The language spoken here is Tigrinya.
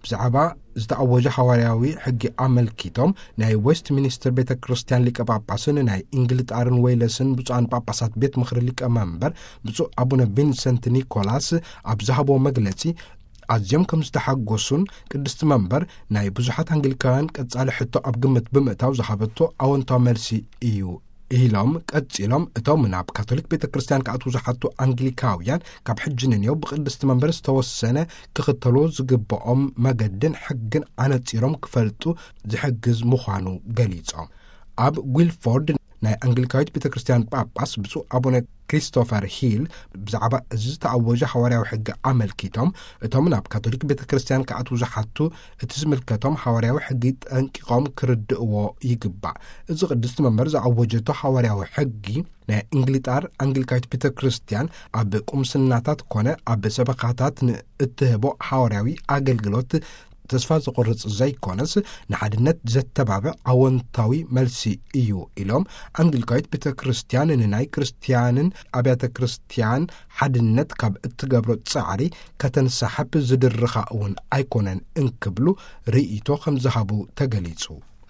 ብዛዕባ ዝተኣወጀ ሃዋርያዊ ሕጊ ኣመልኪቶም፣ ናይ ዌስት ሚኒስተር ቤተ ክርስቲያን ሊቀ ጳጳስን ናይ እንግልጣርን ዌይለስን ብፁዓን ጳጳሳት ቤት ምኽሪ ሊቀ መንበር ብፁዕ ኣቡነ ቪንሰንት ኒኮላስ ኣብ ዝሃቦ መግለጺ፣ ኣዝዮም ከም ዝተሓጎሱን ቅድስቲ መንበር ናይ ብዙሓት ኣንግሊካውያን ቀጻሊ ሕቶ ኣብ ግምት ብምእታው ዝሃበቶ ኣወንታዊ መልሲ እዩ ኢሎም፣ ቀጺሎም፣ እቶም ናብ ካቶሊክ ቤተ ክርስቲያን ክኣትዉ ዝሓቱ ኣንግሊካውያን ካብ ሕጂ ንንየው ብቅድስቲ መንበር ዝተወሰነ ክኽተልዎ ዝግብኦም መገድን ሕግን ኣነጺሮም ክፈልጡ ዝሕግዝ ምዃኑ ገሊጾም። ኣብ ጉልፎርድ ናይ ኣንግሊካዊት ቤተ ክርስቲያን ጳጳስ ብፁዕ ኣቡነ ክሪስቶፈር ሂል ብዛዕባ እዚ ዝተኣወጀ ሃዋርያዊ ሕጊ ኣመልኪቶም፣ እቶም ናብ ካቶሊክ ቤተ ክርስቲያን ክኣትዉ ዝሓቱ እቲ ዝምልከቶም ሃዋርያዊ ሕጊ ጠንቂቖም ክርድእዎ ይግባእ። እዚ ቅድስቲ መንበር ዝኣወጀቶ ሃዋርያዊ ሕጊ ናይ እንግሊጣር ኣንግሊካዊት ቤተ ክርስቲያን ኣብ ቁምስናታት ኮነ ኣብ ሰበኻታት ንእትህቦ ሃዋርያዊ ኣገልግሎት ተስፋ ዘቑርጽ ዘይኮነስ፣ ንሓድነት ዘተባብዕ ኣወንታዊ መልሲ እዩ ኢሎም፣ ኣንግሊካዊት ቤተ ክርስቲያን ንናይ ክርስቲያንን ኣብያተ ክርስቲያን ሓድነት ካብ እትገብሮ ጻዕሪ ከተንሳሕብ ዝድርኻ እውን ኣይኮነን እንክብሉ ርእይቶ ከም ዝሃቡ ተገሊጹ።